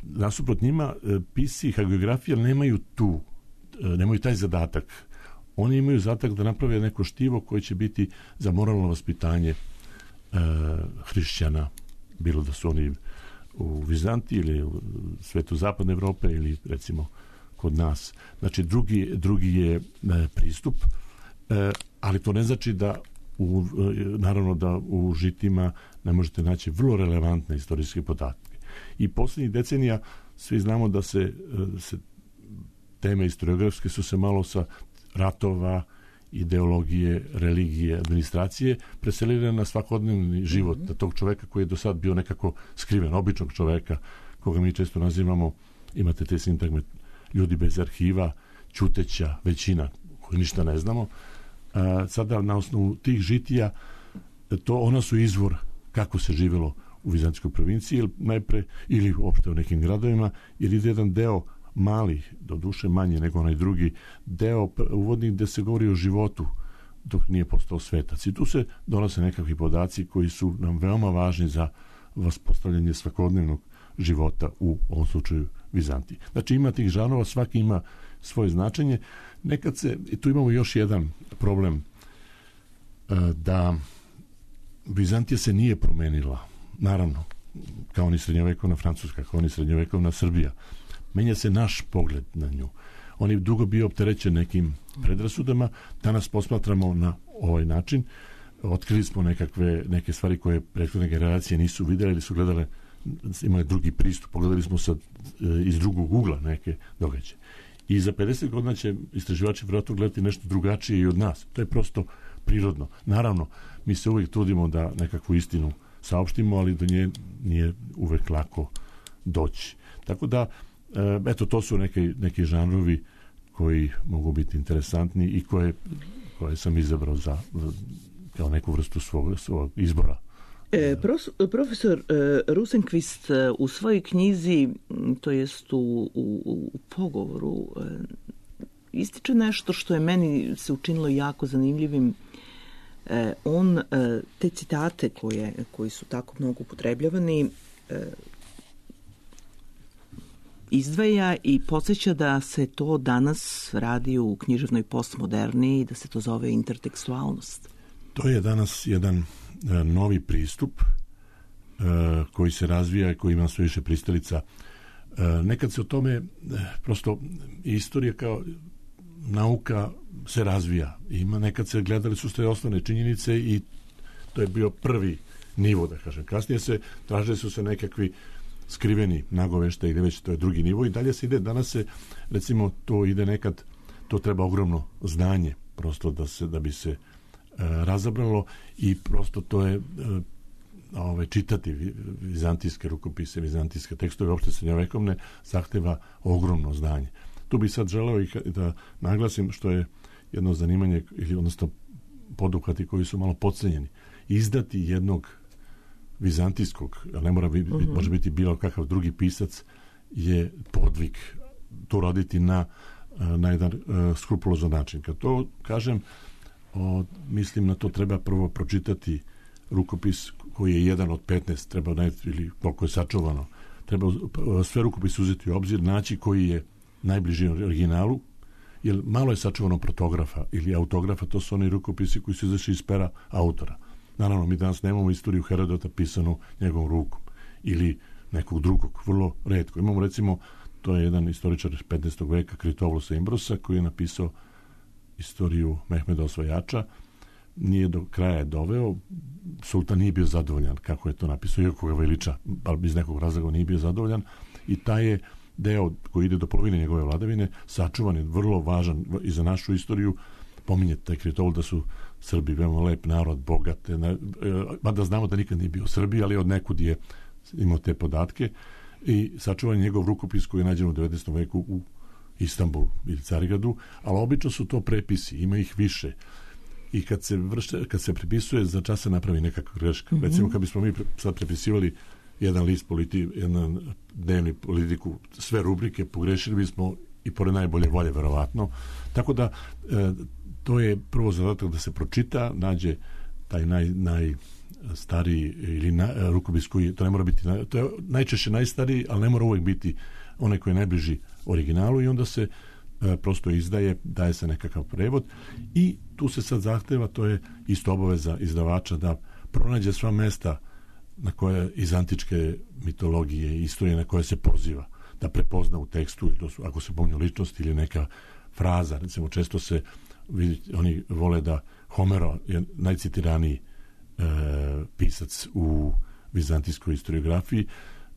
nasuprot njima uh, pisci i hagiografija nemaju tu, uh, nemaju taj zadatak. Oni imaju zadatak da naprave neko štivo koje će biti za moralno vaspitanje uh, hrišćana, bilo da su oni u Vizantiji ili u svetu zapadne Evrope ili recimo kod nas. Znači drugi, drugi je e, pristup, e, ali to ne znači da u, e, naravno da u žitima ne možete naći vrlo relevantne istorijske podatke. I posljednjih decenija svi znamo da se, e, se teme historiografske su se malo sa ratova, ideologije, religije, administracije preselile na svakodnevni život mm-hmm. tog čoveka koji je do sad bio nekako skriven, običnog čoveka koga mi često nazivamo, imate te sintagme ljudi bez arhiva, ćuteća većina koji ništa ne znamo. A, sada na osnovu tih žitija to ona su izvor kako se živjelo u Vizantijskoj provinciji ili najpre ili uopšte u nekim gradovima, jer ide jedan deo malih, do duše manje nego onaj drugi deo uvodnik gde se govori o životu dok nije postao svetac. I tu se donose nekakvi podaci koji su nam veoma važni za vaspostavljanje svakodnevnog života u ovom slučaju Vizantiji. Znači ima tih žanrova, svaki ima svoje značenje. Nekad se, i tu imamo još jedan problem, da Vizantija se nije promenila. Naravno, kao ni srednjovekovna Francuska, kao ni srednjovekovna Srbija. Menja se naš pogled na nju. On je dugo bio opterećen nekim predrasudama, danas posmatramo na ovaj način. Otkrili smo nekakve, neke stvari koje prethodne generacije nisu vidjeli ili su gledale, imali drugi pristup, pogledali smo sad iz drugog ugla neke događaje. I za pedeset godina će istraživači vjerojatno gledati nešto drugačije i od nas. To je prosto prirodno. Naravno, mi se uvijek trudimo da nekakvu istinu saopštimo, ali do nje nije uvijek lako doći. Tako da, eto, to su neki, neki žanrovi koji mogu biti interesantni i koje, koje sam izabrao za, kao neku vrstu svog, svog izbora. E, prof, profesor e, Rosenqvist e, u svojoj knjizi, to jest u, u, u pogovoru, e, ističe nešto što je meni se učinilo jako zanimljivim. E, on e, te citate koje, koji su tako mnogo upotrebljavani e, izdvaja i podsjeća da se to danas radi u književnoj postmoderni i da se to zove intertekstualnost. To je danas jedan novi pristup uh, koji se razvija i koji ima sve više pristalica. Uh, nekad se o tome uh, prosto istorija kao nauka se razvija. Ima, nekad se gledali su sve osnovne činjenice i to je bio prvi nivo, da kažem. Kasnije se tražili su se nekakvi skriveni nagoveštaj ili već to je drugi nivo i dalje se ide. Danas se, recimo, to ide nekad, to treba ogromno znanje prosto da se, da bi se razabralo i prosto to je ove, čitati vizantijske rukopise, vizantijske tekstove, uopšte srednjovekovne, zahteva ogromno znanje. Tu bih sad želeo i da naglasim što je jedno zanimanje, ili odnosno poduhvati koji su malo podcenjeni. Izdati jednog vizantijskog, a ne mora biti, uh-huh. može biti bilo kakav drugi pisac, je podvig. To raditi na, na jedan uh, skrupulozan način. Kad to kažem, o, mislim na to treba prvo pročitati rukopis koji je jedan od petnaest, treba najti, ili koliko je sačuvano. Treba sve rukopise uzeti u obzir, naći koji je najbliži originalu, jer malo je sačuvano protografa ili autografa, to su oni rukopisi koji su izašli iz pera autora. Naravno, mi danas nemamo istoriju Herodota pisanu njegovom rukom ili nekog drugog, vrlo retko. Imamo recimo, to je jedan istoričar petnaestog veka, Kritovolosa Imbrosa, koji je napisao istoriju Mehmeda Osvajača. Nije do kraja je doveo, sultan nije bio zadovoljan kako je to napisao, iako ga veliča, ali iz nekog razloga nije bio zadovoljan, i taj je deo koji ide do polovine njegove vladavine sačuvan je, vrlo važan i za našu istoriju. Pominje taj Kritovol da su Srbi veoma lep narod, bogate, mada znamo da nikad nije bio u Srbiji, ali od nekud je imao te podatke, i sačuvan je njegov rukopis koji je nađen u devetnaestom veku u Istanbulu ili Carigradu, ali obično su to prepisi, ima ih više. I kad se vrše, kad se prepisuje, za čas se napravi nekakva greška. Mm-hmm. Recimo, kad bismo mi sad prepisivali jedan list politi, jedan dnevni politiku, sve rubrike, pogrešili bismo i pored najbolje volje, verovatno. Tako da, e, to je prvo zadatak da se pročita, nađe taj naj, najstariji ili na, rukopis koji, to ne mora biti, to je najčešće najstariji, ali ne mora uvijek biti onaj koji je najbliži originalu, i onda se e, prosto izdaje, daje se nekakav prevod, i tu se sad zahteva, to je isto obaveza izdavača, da pronađe sva mesta na koje iz antičke mitologije i istorije na koje se poziva, da prepozna u tekstu, ili to su, ako se pominju ličnosti ili neka fraza. Recimo, često se vidi, oni vole da Homero je najcitiraniji e, pisac u vizantijskoj historiografiji.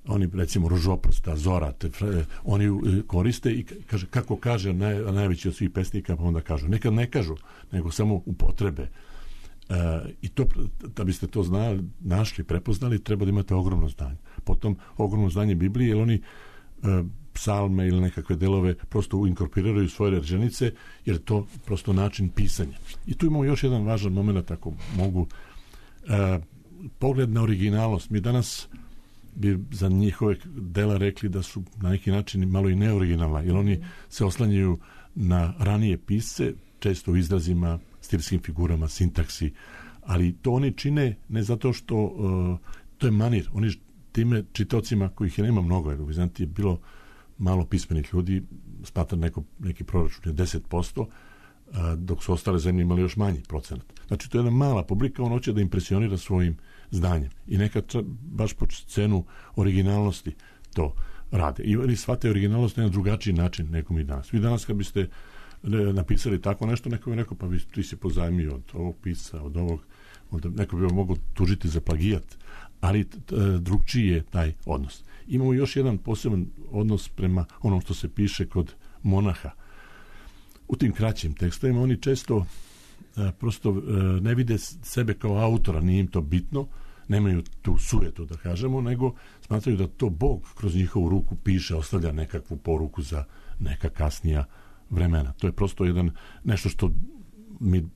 Oni, recimo, Ružoprosta, Zora, te, oni koriste i kaže, kako kaže naj, najveći od svih pesnika, pa onda kažu. Nekad ne kažu, nego samo upotrebe. E, I to, da biste to znali, našli, prepoznali, treba da imate ogromno znanje. Potom ogromno znanje Biblije, jer oni e, psalme ili nekakve delove prosto inkorporiraju svoje rečenice, jer je to prosto način pisanja. I tu imamo još jedan važan moment, ako mogu. E, pogled na originalnost. Mi danas bi za njihove dela rekli da su na neki način malo i neoriginalna, jer oni se oslanjaju na ranije pisce, često u izrazima, stilskim figurama, sintaksi, ali to oni čine ne zato što uh, to je manir, oni time čitaocima, kojih je nema mnogo, jer u Vizantiji je bilo malo pismenih ljudi, smatra neko, neki proračun je deset posto, uh, dok su ostale zemlje imali još manji procenat. Znači, to je jedna mala publika, on hoće da impresionira svojim znanjem. I nekad baš po cenu originalnosti to rade. I oni shvate originalnost na drugačiji način nego mi danas. Vi danas kad biste napisali tako nešto, neko bi rekao, pa vi, ti si pozajmio od ovog pisa, od ovog, od, neko bi vam mogao tužiti za plagijat, ali t, t, drugčiji je taj odnos. Imamo još jedan poseban odnos prema onom što se piše kod monaha. U tim kraćim tekstovima oni često a, prosto a, ne vide sebe kao autora, nije im to bitno, nemaju tu sujetu, da kažemo, nego smatraju da to Bog kroz njihovu ruku piše, ostavlja nekakvu poruku za neka kasnija vremena. To je prosto jedan nešto što mi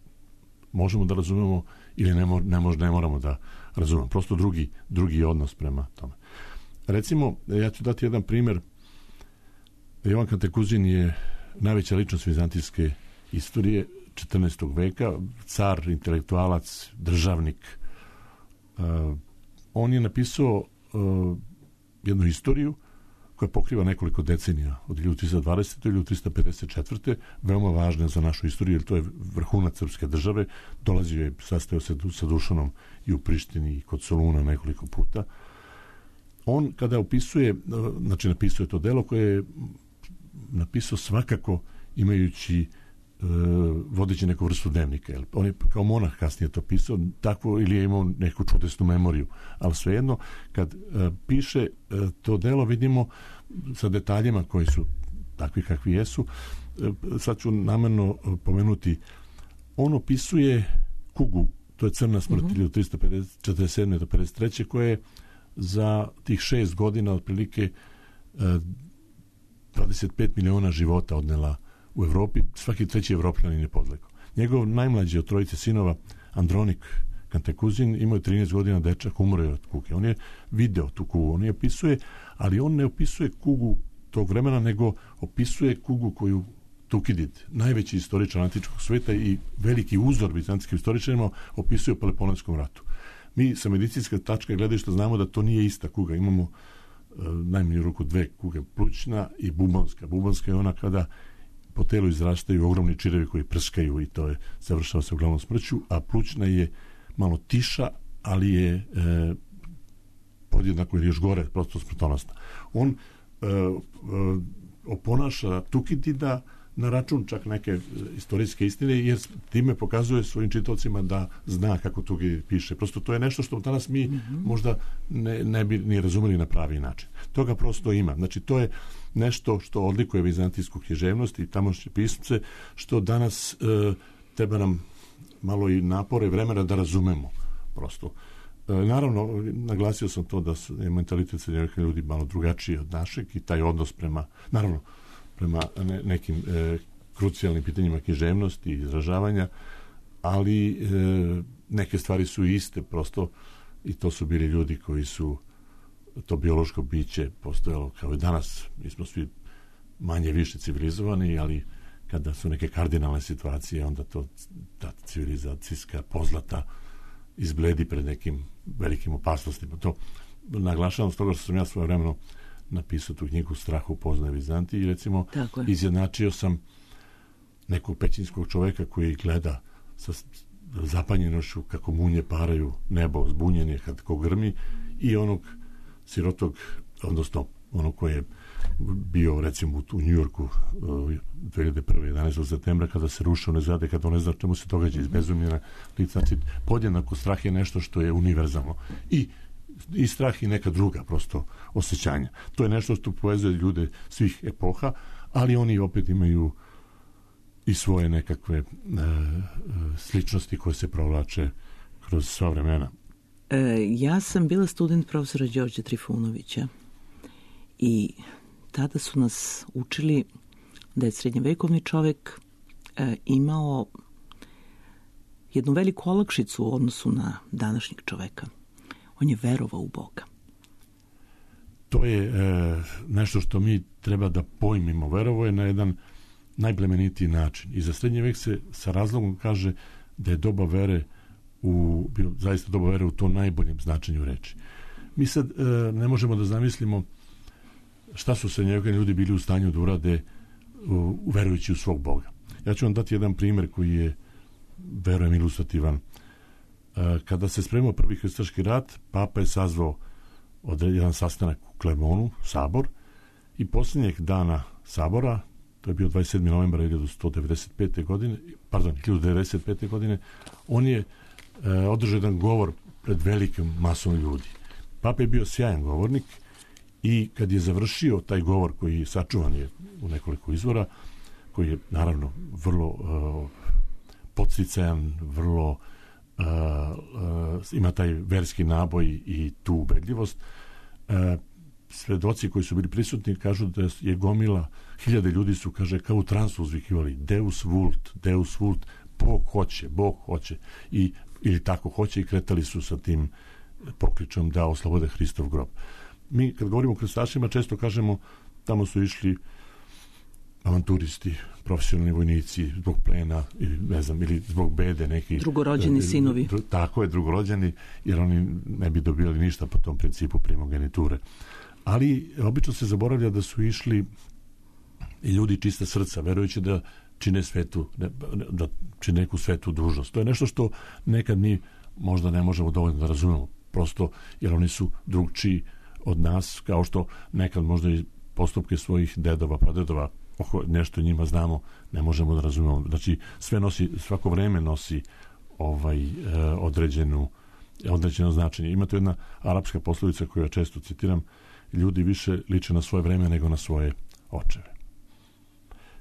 možemo da razumemo ili ne, mor, ne, mož, ne moramo da razumemo. Prosto drugi, drugi odnos prema tome. Recimo, ja ću dati jedan primjer. Jovan Kantakuzin je najveća ličnost vizantijske istorije četrnaestog veka, car, intelektualac, državnik. Uh, on je napisao uh, jednu istoriju koja pokriva nekoliko decenija, od hiljadu trista dvadesete do hiljadu trista pedeset četvrte veoma važna za našu istoriju, jer to je vrhunac srpske države. Dolazio je, sastao se sa Dušanom i u Prištini i kod Soluna nekoliko puta. On, kada opisuje, znači napisuje to delo koje je napisao svakako imajući uh, vodeći neku vrstu dnevnika. Jel? On je kao monah kasnije to pisao, takvo, ili je imao neku čudesnu memoriju. Ali svejedno, kad uh, piše uh, to delo, vidimo sa detaljima koji su takvi kakvi jesu. Uh, sad ću namerno uh, pomenuti. On opisuje kugu, to je crna smrt, mm-hmm. hiljadu trista četrdeset sedme do pedeset treće, koje je za tih šest godina otprilike uh, dvadeset pet miliona života odnela u Evropi, svaki treći Evropljanin je podlegao. Njegov najmlađi od trojice sinova, Andronik Kantekuzin, imao je trinaest godina, dečak, umro je od kuge. On je video tu kugu, on je opisuje, ali on ne opisuje kugu tog vremena, nego opisuje kugu koju Tukidid, najveći istoričar antičkog sveta i veliki uzor bizantskim istoričarima, opisuje u Peloponskom ratu. Mi sa medicinske tačke gledišta znamo da to nije ista kuga. Imamo e, najmanju ruku dve kuge, plućna i bubonska. Bubonska je ona kada po telu izrastaju ogromni čirevi koji prskaju i to je završava se uglavnom smrću, a plućna je malo tiša, ali je e, podjednako ili još gore, prosto smrtonosna. On e, e, oponaša Tukidida na račun čak neke istorijske istine, jer time pokazuje svojim čitaocima da zna kako Tukidid piše. Prosto to je nešto što danas mi mm-hmm. možda ne, ne bi ni razumeli na pravi način. Toga prosto ima. Znači, to je nešto što odlikuje vizantijsku književnost i tamošnje pismce, što danas e, treba nam malo i napore vremena da razumemo prosto. E, naravno, naglasio sam to da je mentalitet srednjovjekovnih ljudi malo drugačiji od našeg i taj odnos prema, naravno, prema ne, nekim e, krucijalnim pitanjima književnosti i izražavanja, ali e, neke stvari su iste prosto i to su bili ljudi koji su to biološko biće postojalo kao i danas. Mi smo svi manje više civilizovani, ali kada su neke kardinalne situacije, onda to ta civilizacijska pozlata izbledi pred nekim velikim opasnostima. To naglašavam s toga što sam ja svoje vremeno napisao tu knjigu Strah upoznaje Vizantiju i recimo izjednačio sam nekog pećinskog čoveka koji gleda sa zapanjenošću kako munje paraju nebo, zbunjen je kad ko grmi, i onog sirotog, odnosno onog koji je bio recimo u Njujorku dve hiljade prve. jedanaestog septembra kada se ruše one zgrade, kada on ne zna čemu se događa, izbezumljena lica. Podjednako strah je nešto što je univerzalno i i strah i neka druga prosto osjećanja. To je nešto što povezuje ljude svih epoha, ali oni opet imaju i svoje nekakve e, sličnosti koje se provlače kroz sva vremena. E, ja sam bila student profesora Đorđa Trifunovića i tada su nas učili da je srednjevekovni čovek e, imao jednu veliku olakšicu u odnosu na današnjeg čoveka. On je verovao u Boga. To je e, nešto što mi treba da pojmimo. Verovao je na jedan najplemenitiji način. I za srednji vek se sa razlogom kaže da je doba vere u, bio zaista doba vere u to najboljem značenju reči. Mi sad e, ne možemo da zamislimo šta su srednjevekovni ljudi bili u stanju da urade u, verujući u svog Boga. Ja ću vam dati jedan primjer koji je, verujem, ilustrativan. Kada se spremao prvi krstaški rat, papa je sazvao jedan sastanak u Klermonu, sabor, i posljednjeg dana sabora, to je bio dvadeset sedmog novembra hiljadu devedeset pete. godine, pardon, hiljadu devedeset pete. godine, on je e, održao jedan govor pred velikim masom ljudi. Papa je bio sjajan govornik i kad je završio taj govor, koji sačuvan je u nekoliko izvora, koji je naravno vrlo e, podsticajan, vrlo Uh, uh, ima taj verski naboj i tu ubedljivost. Uh, svedoci koji su bili prisutni kažu da je gomila, hiljade ljudi su, kaže, kao u transu uzvikivali Deus vult, Deus vult, Bog hoće, Bog hoće, i, ili tako hoće, i kretali su sa tim pokličom da oslobode Hristov grob. Mi kad govorimo o krstašima često kažemo tamo su išli avanturisti, profesionalni vojnici zbog plena ili ne znam, ili zbog bede neki drugorođeni sinovi. Dru, tako je, drugorođeni, jer oni ne bi dobili ništa po tom principu primogeniture. Ali obično se zaboravlja da su išli i ljudi čista srca, verujući da čine svetu, da čine neku svetu dužnost. To je nešto što nekad mi možda ne možemo dovoljno da razumemo, prosto jer oni su drugčiji od nas, kao što nekad možda i postupke svojih dedova, pradedova, oko nešto njima znamo, ne možemo da razumemo. Znači, sve nosi, svako vreme nosi ovaj e, određenu određeno značenje. Ima to jedna arapska poslovica koju ja često citiram: ljudi više liče na svoje vreme nego na svoje očeve.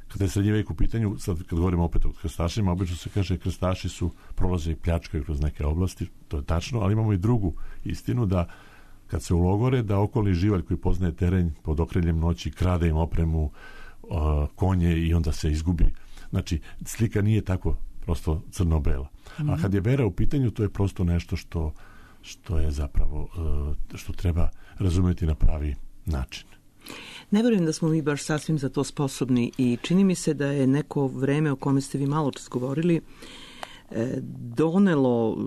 Kada je srednji vek u pitanju, sad kad govorimo opet o krstašima, obično se kaže krstaši su prolaze i pljačkaju kroz neke oblasti, to je tačno, ali imamo i drugu istinu, da kad se ulogore, da okolni živalj koji poznaje teren pod okriljem noći krade im opremu, uh, konje i onda se izgubi. Znači, slika nije tako prosto crno-bela. Mm-hmm. A kad je vera u pitanju, to je prosto nešto što, što je zapravo, uh, što treba razumjeti na pravi način. Ne vjerujem da smo mi baš sasvim za to sposobni i čini mi se da je neko vreme o kome ste vi malo čas govorili donelo,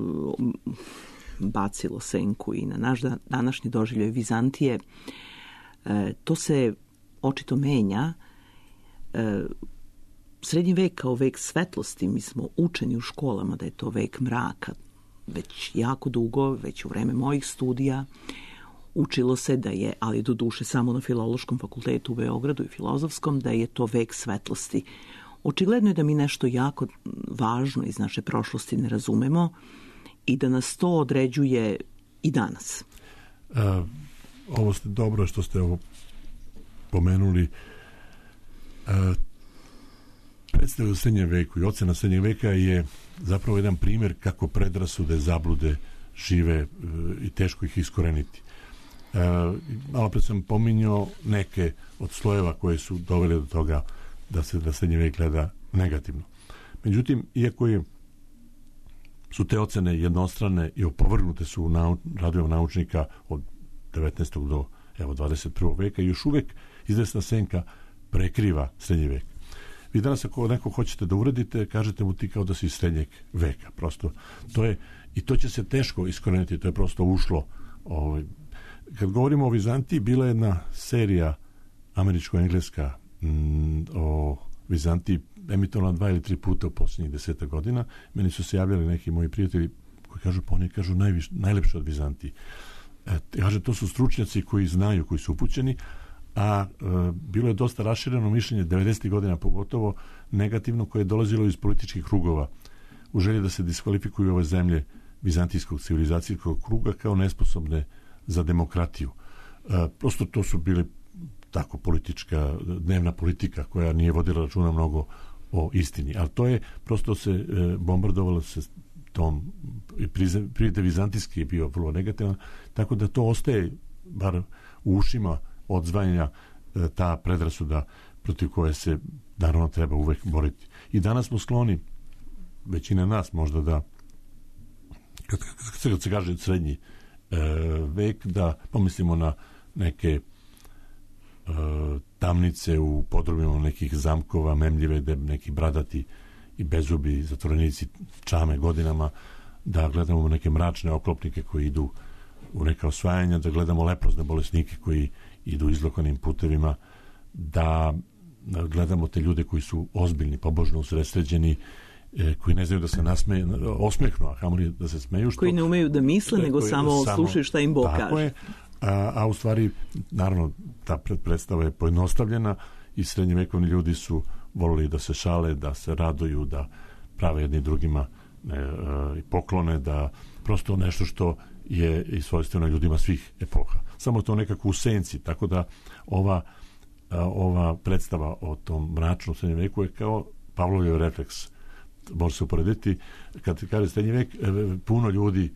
bacilo senku i na naš današnji doživljaj Vizantije. To se očito menja. Srednji vek kao vek svetlosti, mi smo učeni u školama da je to vek mraka. Već jako dugo, već u vreme mojih studija, učilo se da je, ali do duše samo na Filološkom fakultetu u Beogradu i Filozofskom, da je to vek svetlosti. Očigledno je da mi nešto jako važno iz naše prošlosti ne razumemo i da nas to određuje i danas. Uh, ovo ste dobro što ste ovo pomenuli. Uh, predstava u srednjem veku i ocena srednjeg veka je zapravo jedan primjer kako predrasude, zablude žive uh, i teško ih iskoreniti. Uh, malo pre sam pominjao neke od slojeva koje su dovele do toga da se da srednji vek gleda negativno. Međutim, iako je, su te ocene jednostrane i opovrgnute su u nau, radovima naučnika od devetnaestog do evo, dvadeset prvog veka, još uvek izvesna senka prekriva srednji vek. Vi danas ako neko hoćete da uradite, kažete mu ti kao da si iz srednjeg veka. Prosto to je, i to će se teško iskoreniti, to je prosto ušlo. Ovaj. Kad govorimo o Vizantiji, bila je jedna serija američko-engleska mm, o Vizantiji, emitovana dva ili tri puta u posljednjih deseta godina. Meni su se javljali neki moji prijatelji koji kažu, pa oni kažu najviš, najlepše od Vizantiji. E, kaže, to su stručnjaci koji znaju, koji su upućeni, a e, bilo je dosta rašireno mišljenje devedesetih godina pogotovo negativno, koje je dolazilo iz političkih krugova u želji da se diskvalifikuju ove zemlje vizantijskog civilizacijskog kruga kao nesposobne za demokratiju. E, prosto to su bili tako politička, dnevna politika koja nije vodila računa mnogo o istini. Ali to je, prosto se e, bombardovalo se tom, i prijete vizantijski je bio vrlo negativan, tako da to ostaje bar u ušima odzvanja e, ta predrasuda protiv koje se naravno treba uvek boriti. I danas smo skloni, većina nas možda da kad, kad se kaže srednji e, vek, da pomislimo na neke tamnice u podrumima nekih zamkova, memljive, gde neki bradati i bezubi zatvorenici čame godinama, da gledamo neke mračne oklopnike koji idu u neka osvajanja, da gledamo leprozne bolesnike koji idu izlokanim putevima, da gledamo te ljude koji su ozbiljni, pobožno usredsređeni, koji ne znaju da se nasmeju, osmehnu, a kamoli da se smeju. Što, koji ne umeju da misle, nego koji, samo, samo slušaju šta im Bog kaže. Je, a, a u stvari, naravno, ta predstava je pojednostavljena i srednjevekovni ljudi su volili da se šale, da se raduju, da prave jedni drugima ne, e, poklone, da prosto nešto što je i svojstveno ljudima svih epoha. Samo to nekako u senci, tako da ova, a, ova predstava o tom mračnom srednjem veku je kao Pavlovljev refleks. Može se uporediti, kad kaže srednji vek, puno ljudi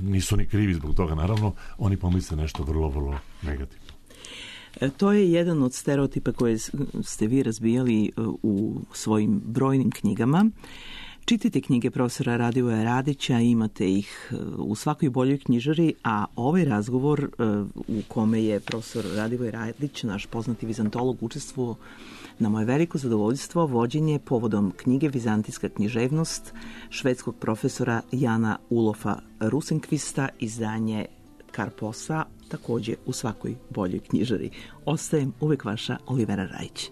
nisu ni krivi zbog toga, naravno, oni pomisle nešto vrlo, vrlo negativno. To je jedan od stereotipa koje ste vi razbijali u svojim brojnim knjigama. Čitajte knjige profesora Radivoja Radića, imate ih u svakoj boljoj knjižari, a ovaj razgovor u kome je profesor Radivoj Radić, naš poznati vizantolog, učestvovao, na moje veliko zadovoljstvo, vođenje povodom knjige Vizantijska književnost švedskog profesora Jana Ulofa Rosenkvista, izdanje Karposa, također u svakoj boljoj knjižari. Ostajem uvek vaša Olivera Rajić.